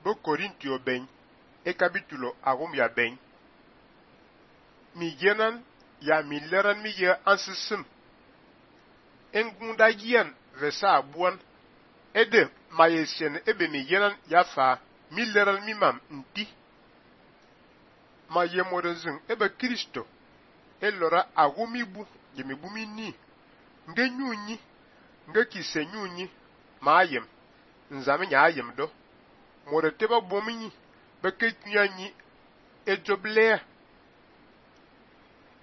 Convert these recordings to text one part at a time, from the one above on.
Bo Korintio ben e capítulo agum ya ben. Mi yenan ya mi leran mi ye ansisim. Engunda yen vesa abuan. Ede mayesien ebe mi yenan ya fa mi leran mi mam nti. Ma ye modenzin ebe Kristo. Elora agumibu yemibu mi ni. Nge nyunyi. Nge kise nyunyi. Ma ayem. Nzame nya ayem do. Mode teba bominyi. Beke kunyanyi. Ejoblea.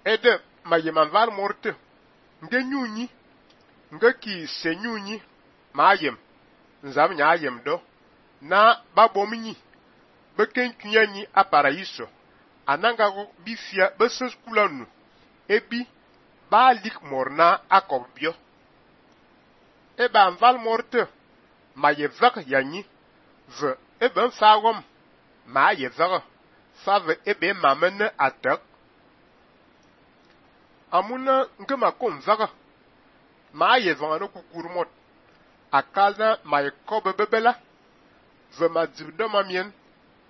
Ede ma yemanval morte. Nge nyunyi. Nge kise nyunyi. Ma ayem. Nzame nya ayem do. Na babominyi. Beke kunyanyi a paraíso. Anangago bifia beses kulanu. Ebi ba lik morna akobio. Eba anval morte. Ma ye vak yanyi. Ve ebe mfagom. Ma ye vak. Fave ebe mamene atak. Amuna nke ma kom vak. Ma ye vangano kukurmot. Akalna ma ye kobe bebela. Ve ma dibdo mamien.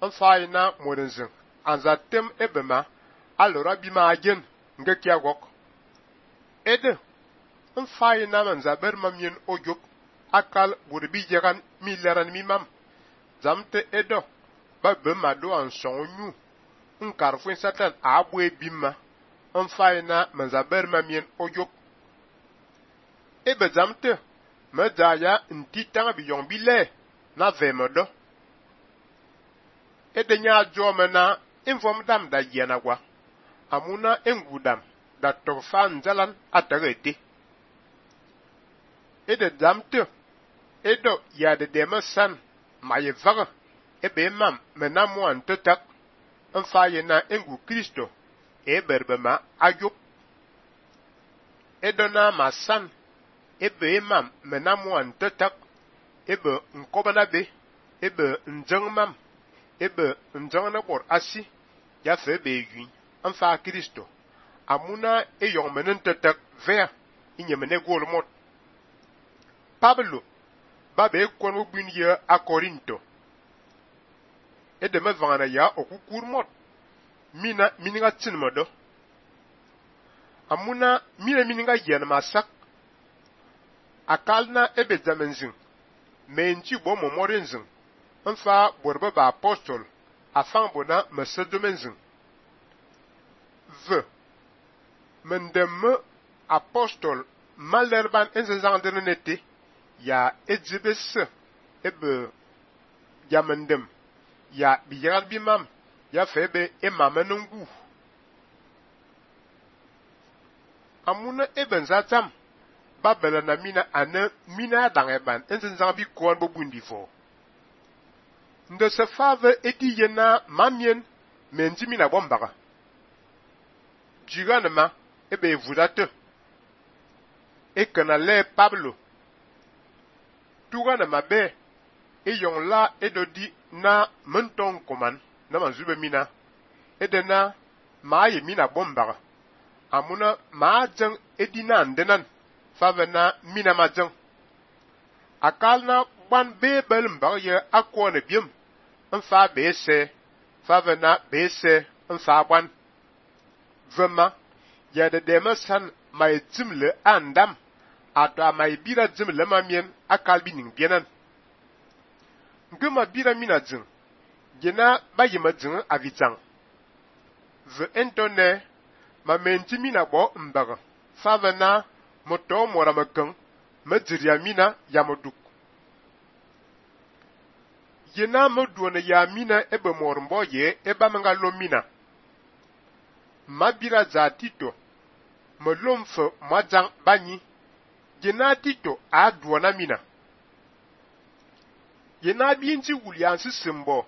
Mfayena modenzin. Anzatem ebe ma. Alora bima agen. Nge kia gok. Ede. Mfayena manzaber mamien ojok. Akal burbi jegan mi leran mi mam. Zamte edo. Ba bema do an sonyu. Nkarfwen satan abwe bima. Mfayena manzaber mamien ojok. Ebe zamte. Medaya ntitang biyong bile. Na vemedo. Ede nya jomena. Inform dam da yenagwa. Amuna engudam. Da tofan zalan atagete. Ede zamte. Edo ya de demesan. Ma ye vaga. Ebe mam menamu an tetak. Mfayena engu Kristo. Eberbema ayop. Edo na masan. Ebe mam menamu an tetak. Ebe nkobana be. Ebe njeng mam. Ebe njeng na bor asi. Ya fe be yun. Mfa Kristo. Amuna eyong menen tetak vea. Inyemene golmot. Pablo. Babe kon wubin ye a Korinto. Ede me vangana ya okukurmot. Mininga tsinmodo. Amuna mininga yen masak. Akalna ebe zamenzin. Menji bo momorenzin. Mfa borbe ba apostol. Afan bona mesedomenzin. Ve. Mendemme apostol. Malerban enzenzandere nete. Ya edzibese. Ebe. Ya mendem. Ya biyagal bimam. Ya febe emamenungu. Amuna eben zatam. Babela na mina adangeban. Enzenzang bi kouan bo bundi fo. Nde se fave eti yena mamien. Menji mina bombaga. Jiganema. Ebe vudate. Ekenale Pablo. Tuganema be. Eyong la edodi na menton koman. Na manzube mina. Edena. Maaye mina bombaga. Amuna maajang edina andenan. Fave na mina majang. Akal na ban bebel mbag ye akwane biem. Mfa bese. Fave na bese. Mfa ban. Vema. Ya de demesan may zimle andam. Ato may bira zimle mamien akal bining bienan. Ngema bira mina zing. Gena bayima zing avizang. Ve entone. Ma menti mina bo mbaga. Fave na moto mora mekeng. Mediria mina ya moduk. Yena moduone ya mina ebe mormbo ye eba menga lo mina. Mabira za tito. Melomfe mwajang banyi. Yena tito a duona mina. Yena binti wuliansi simbo.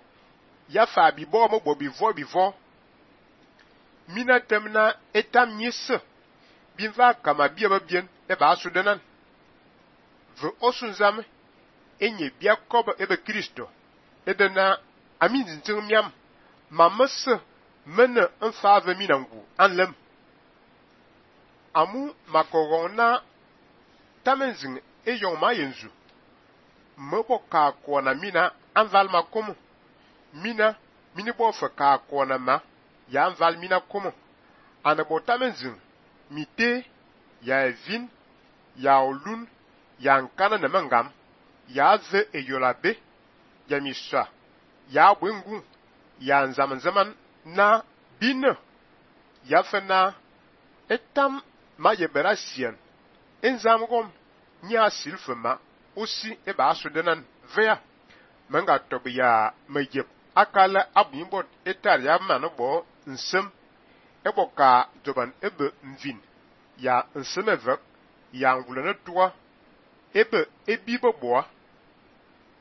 Ya fa bibo mo bo bivo. Mina temna etam nyese. Binva kama biya bien eba asudenan. Ve osunzame. Enye biya koba ebe Kristo. Edena amin zinting miam. Mamese mene mfave minangu anlem. Amu makogona tamenzing eyong mayenzu. Mebo ka kwa na mina anval makomo. mina mini bo fa ka kona ma ya val mina komo ana botamenzin mite ya vin ya olun ya nkana na mangam ya ze eyolabe ya misha ya bwengu ya zaman na bin ya fana etam ma yebera sian enzamgom nya silfema aussi e ba sudenan vea manga tobiya mayep akala abuimbot etar ya manabo nsem eboka joban ebe mvin ya nsem evek ya ngulana tuwa ebe ebibo boa